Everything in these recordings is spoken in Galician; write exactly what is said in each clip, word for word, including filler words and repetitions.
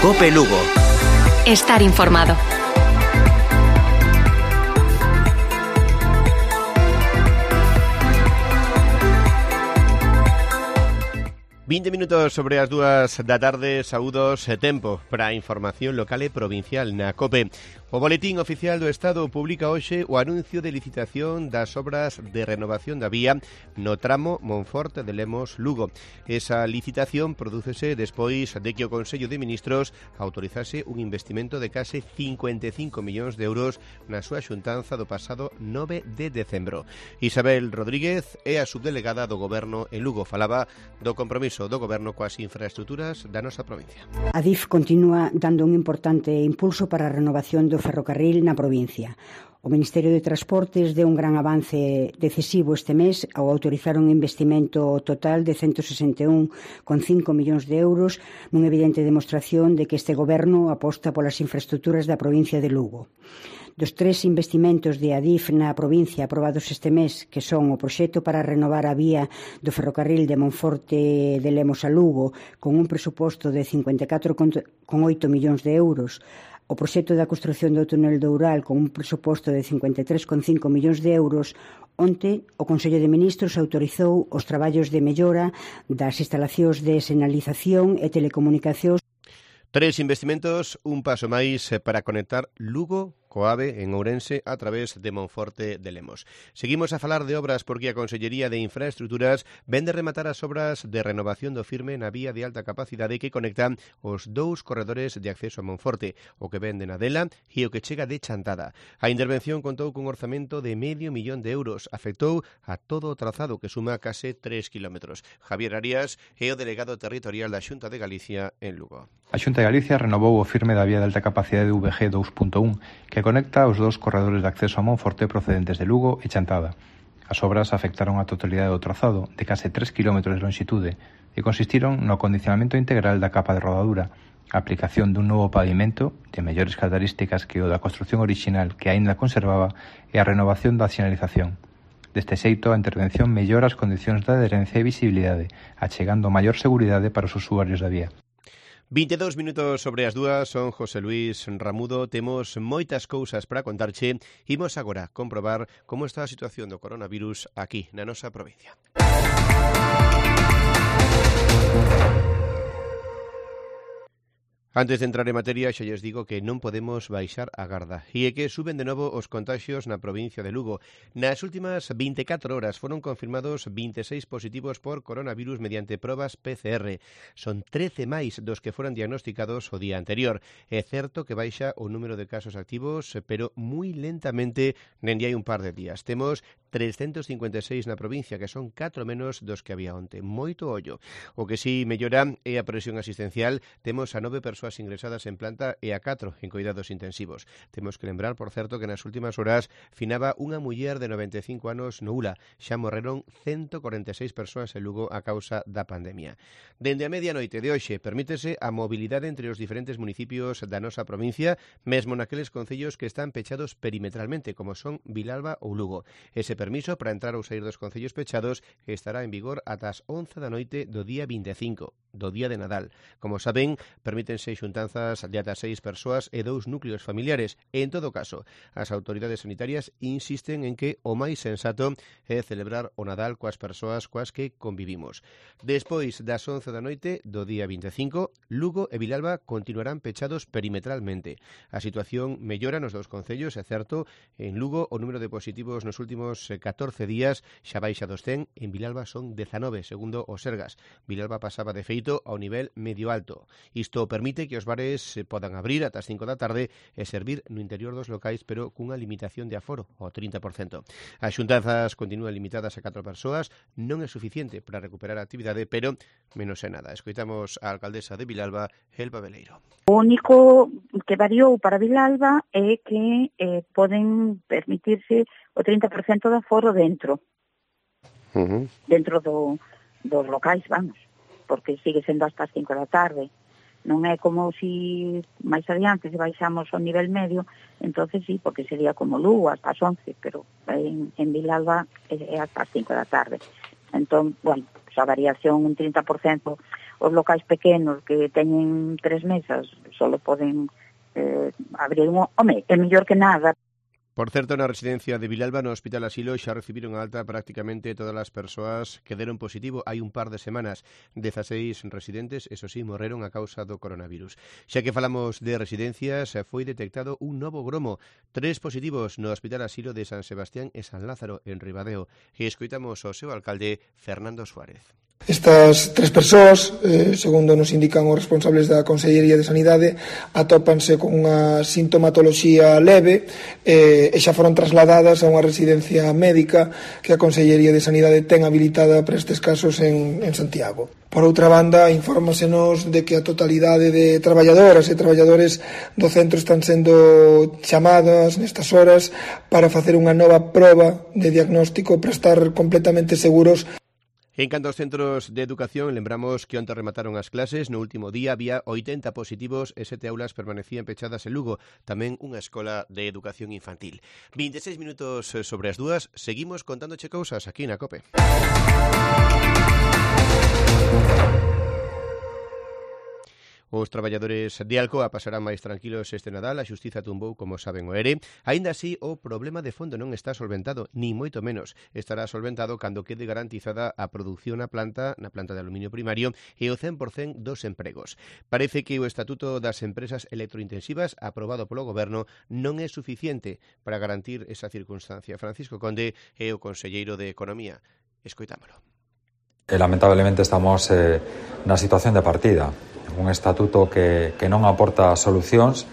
COPE Lugo. Estar informado. vinte minutos sobre as dúas da tarde, saúdos e tempo para a información local e provincial na COPE. O Boletín Oficial do Estado publica hoxe o anuncio de licitación das obras de renovación da vía no tramo Monforte de Lemos-Lugo. Esa licitación prodúcese despois de que o Consello de Ministros autorizase un investimento de case cincuenta e cinco millóns de euros na súa xuntanza do pasado nove de decembro. Isabel Rodríguez é a subdelegada do Goberno en Lugo. Falaba do compromiso do Goberno coas infraestructuras da nosa provincia. A D I F continúa dando un importante impulso para a renovación do ferrocarril na provincia. O Ministerio de Transportes deu un gran avance decisivo este mes ao autorizar un investimento total de ciento sesenta e un coma cinco millóns de euros nunha evidente demostración de que este Goberno aposta polas infraestructuras da provincia de Lugo. Dos tres investimentos de A D I F na provincia aprobados este mes, que son o proxecto para renovar a vía do ferrocarril de Monforte de Lemos a Lugo con un presuposto de cincuenta e catro coma oito millóns de euros, o proxecto da construción do túnel do Ural con un presuposto de cincuenta e tres coma cinco millóns de euros, onte o Consello de Ministros autorizou os traballos de mellora das instalacións de sinalización e telecomunicacións. Tres investimentos, un paso máis para conectar Lugo coa AVE en Ourense a través de Monforte de Lemos. Seguimos a falar de obras porque a Consellería de Infraestructuras ven de rematar as obras de renovación do firme na vía de alta capacidade que conectan os dous corredores de acceso a Monforte, o que ven de Nadela e o que chega de Chantada. A intervención contou cun orzamento de medio millón de euros. Afectou a todo o trazado que suma case tres kilómetros. Javier Arias é o delegado territorial da Xunta de Galicia en Lugo. A Xunta de Galicia renovou o firme da vía de alta capacidade V G dous punto un, que conecta os dous corredores de acceso a Monforte procedentes de Lugo e Chantada. As obras afectaron a totalidade do trazado, de case tres kilómetros de longitude, e consistiron no acondicionamento integral da capa de rodadura, a aplicación dun novo pavimento, de mellores características que o da construción original que aínda conservaba, e a renovación da sinalización. Deste xeito, a intervención mellora as condicións de adherencia e visibilidade, achegando maior seguridade para os usuarios da vía. vinte e dous minutos sobre as dúas, son José Luis Ramudo. Temos moitas cousas para contarche. Imos agora comprobar como está a situación do coronavirus aquí na nosa provincia. Antes de entrar en materia, xa lles digo que non podemos baixar a garda. E é que suben de novo os contagios na provincia de Lugo. Nas últimas vinte e catro horas foron confirmados vinte e seis positivos por coronavirus mediante probas P C R. Son trece máis dos que foron diagnosticados o día anterior. É certo que baixa o número de casos activos, pero moi lentamente dende hai un par de días. Temos trescentos cincuenta e seis na provincia, que son catro menos dos que había onte. Moito ollo. O que si mellora é a presión asistencial. Temos a nove persoas ingresadas en planta e a catro en cuidados intensivos. Temos que lembrar, por certo, que nas últimas horas finaba unha muller de noventa e cinco anos no Ula. Xa morreron ciento cuarenta e seis persoas en Lugo a causa da pandemia. Dende a medianoite de hoxe permítese a mobilidade entre os diferentes municipios da nosa provincia, mesmo naqueles concellos que están pechados perimetralmente, como son Vilalba ou Lugo. Ese permiso para entrar ou sair dos concellos pechados estará en vigor ata as once da noite do día vinte e cinco, do día de Nadal. Como saben, permítense xuntanzas de ata seis persoas e dous núcleos familiares. En todo caso, as autoridades sanitarias insisten en que o máis sensato é celebrar o Nadal coas persoas coas que convivimos. Despois das once da noite do día vinte e cinco, Lugo e Vilalba continuarán pechados perimetralmente. A situación mellora nos dous concellos, é certo. En Lugo o número de positivos nos últimos catorce días xa baixa dos cen, en Vilalba son dezanove, segundo o Sergas. Vilalba pasaba de feito ao nivel medio alto. Isto permite que os bares podan abrir ata as cinco da tarde e servir no interior dos locais, pero cunha limitación de aforo, ao trinta por cento. As xuntanzas continúan limitadas a catro persoas, non é suficiente para recuperar a actividade, pero menos é nada. Escoitamos a alcaldesa de Vilalba, Elba Veleiro. O único que variou para Vilalba é que eh, poden permitirse o trinta por cento de aforo dentro. Uh-huh. Dentro do, dos locais, vamos, porque sigue sendo hasta as cinco da tarde. Non é como si máis adiante se baixamos ao nivel medio, entonces sí, porque sería como Lugo hasta as once, pero en, en Vilalba é, é hasta as cinco da tarde. Entón, bueno, esa variación un trinta por cento, os locais pequenos que teñen tres mesas só poden eh, abrir un... Home, é mellor que nada. Por certo, na residencia de Vilalba, no Hospital Asilo, xa recibiron a alta prácticamente todas as persoas que deron positivo hai un par de semanas. dezaseis residentes, eso sí, morreron a causa do coronavirus. Xa que falamos de residencias, foi detectado un novo gromo. Tres positivos no Hospital Asilo de San Sebastián e San Lázaro, en Ribadeo. E escoitamos ao seu alcalde, Fernando Suárez. Estas tres persoas, eh, segundo nos indican os responsables da Consellería de Sanidade, atópanse con unha sintomatoloxía leve eh, e xa foron trasladadas a unha residencia médica que a Consellería de Sanidade ten habilitada para estes casos en, en Santiago. Por outra banda, infórmasenos de que a totalidade de traballadoras e traballadores do centro están sendo chamadas nestas horas para facer unha nova proba de diagnóstico para estar completamente seguros. En canto aos centros de educación, lembramos que onte remataron as clases. No último día había oitenta positivos e sete aulas permanecían pechadas en Lugo, tamén unha escola de educación infantil. veintiséis minutos sobre as dúas, seguimos contándoche cousas aquí na COPE. Os traballadores de Alcoa pasarán máis tranquilos este Nadal. A Xustiza tumbou, como saben, o ERE. Aínda así, o problema de fondo non está solventado, ni moito menos. Estará solventado cando quede garantizada a produción na planta, na planta de aluminio primario, e o cen por cento dos empregos. Parece que o Estatuto das Empresas Electrointensivas, aprobado polo Goberno, non é suficiente para garantir esa circunstancia. Francisco Conde é o conselleiro de Economía. Escoitámolo. E, lamentablemente estamos eh, na situación de partida. Un estatuto que, que non aporta solucións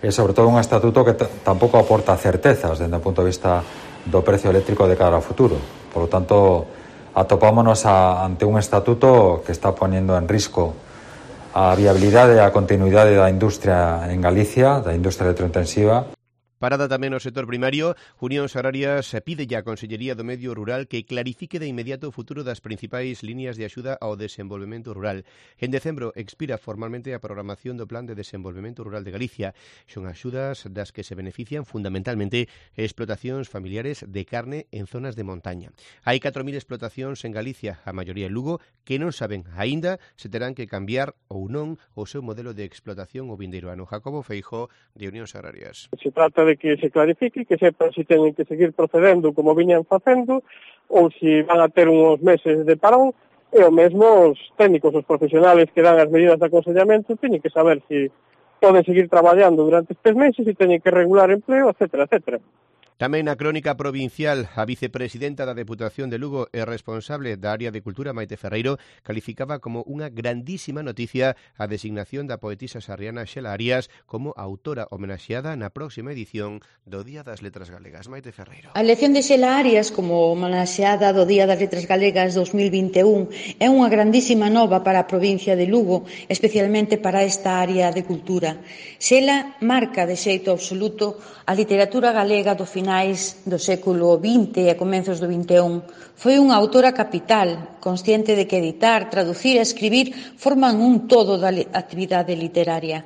e, sobre todo, un estatuto que t- tampouco aporta certezas dende o punto de vista do precio eléctrico de cara ao futuro. Por lo tanto, atopámonos a, ante un estatuto que está poniendo en risco a viabilidade e a continuidade da industria en Galicia, da industria electrointensiva. Parada tamén no sector primario. Unión Agrarias pide ya a Consellería do Medio Rural que clarifique de inmediato o futuro das principais líneas de axuda ao desenvolvemento rural. En decembro expira formalmente a programación do Plan de Desenvolvemento Rural de Galicia. Son axudas das que se benefician fundamentalmente explotacións familiares de carne en zonas de montaña. Hai catro mil explotacións en Galicia, a maioría en Lugo, que non saben aínda se terán que cambiar ou non o seu modelo de explotación o vindeiro ano. Jacobo Feijó, de Unión Agrarias. Se trata de que se clarifique, que sepan se teñen que seguir procedendo como viñan facendo ou se van a ter uns meses de parón, e o mesmo os técnicos, os profesionales que dan as medidas de aconsellamento teñen que saber se poden seguir traballando durante estes meses, se teñen que regular empleo, etcétera, etcétera. Tamén na crónica provincial, a vicepresidenta da Deputación de Lugo e responsable da área de Cultura, Maite Ferreiro, calificaba como unha grandísima noticia a designación da poetisa sarriana Xela Arias como autora homenaxeada na próxima edición do Día das Letras Galegas. Maite Ferreiro. A elección de Xela Arias como homenaxeada do Día das Letras Galegas dos mil vinte e un é unha grandísima nova para a provincia de Lugo, especialmente para esta área de cultura. Xela marca de xeito absoluto a literatura galega do final do século vinte e a comenzos do vinte e un. Foi unha autora capital, consciente de que editar, traducir e escribir forman un todo da actividade literaria.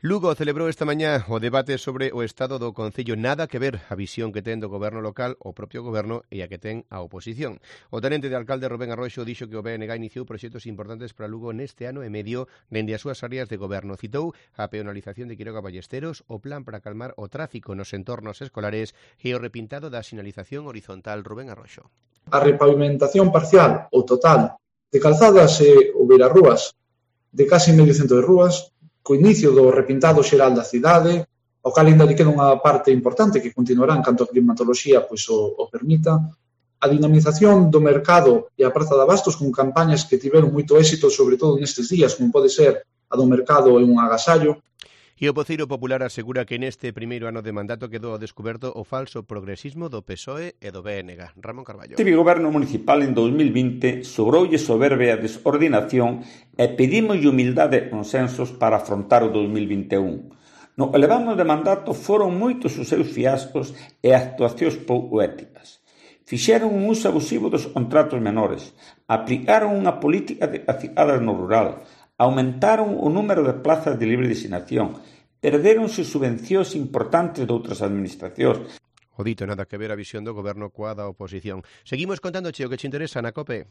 Lugo celebrou esta mañá o debate sobre o estado do Concello. Nada que ver a visión que ten do goberno local o propio goberno e a que ten a oposición. O tenente de alcalde Rubén Arroxo dixo que o B N G iniciou proxectos importantes para Lugo neste ano e medio dende as súas áreas de goberno. Citou a peonalización de Quiroga Ballesteros, o plan para calmar o tráfico nos entornos escolares e o repintado da sinalización horizontal. Rubén Arroxo. A repavimentación parcial ou total de calzadas e ou beirarrúas de casi medio cento de rúas, co inicio do repintado xeral da cidade, ao cal ainda lle queda unha parte importante que continuará en canto a climatoloxía pois o, o permita, a dinamización do mercado e a praza de abastos con campañas que tiveron moito éxito, sobre todo nestes días, como pode ser a do mercado e un agasallo. E o voceiro popular asegura que neste primeiro ano de mandato quedou ao descoberto o falso progresismo do P S O E e do B N G. Ramón Carballo. Este goberno municipal en dos mil vinte sobroulle soberbia e desordinación e pedimos humildade e consensos para afrontar o dos mil vinte e un. No elevamos de mandato foron moitos os seus fiascos e actuacións pouco éticas. Fixeron un uso abusivo dos contratos menores, aplicaron unha política de acicadas no rural, aumentaron o número de plazas de libre designación, perderonse subvencións importantes de outras administracións. O dito, nada que ver a visión do goberno coa da oposición. Seguimos contándoche o que che interesa na COPE.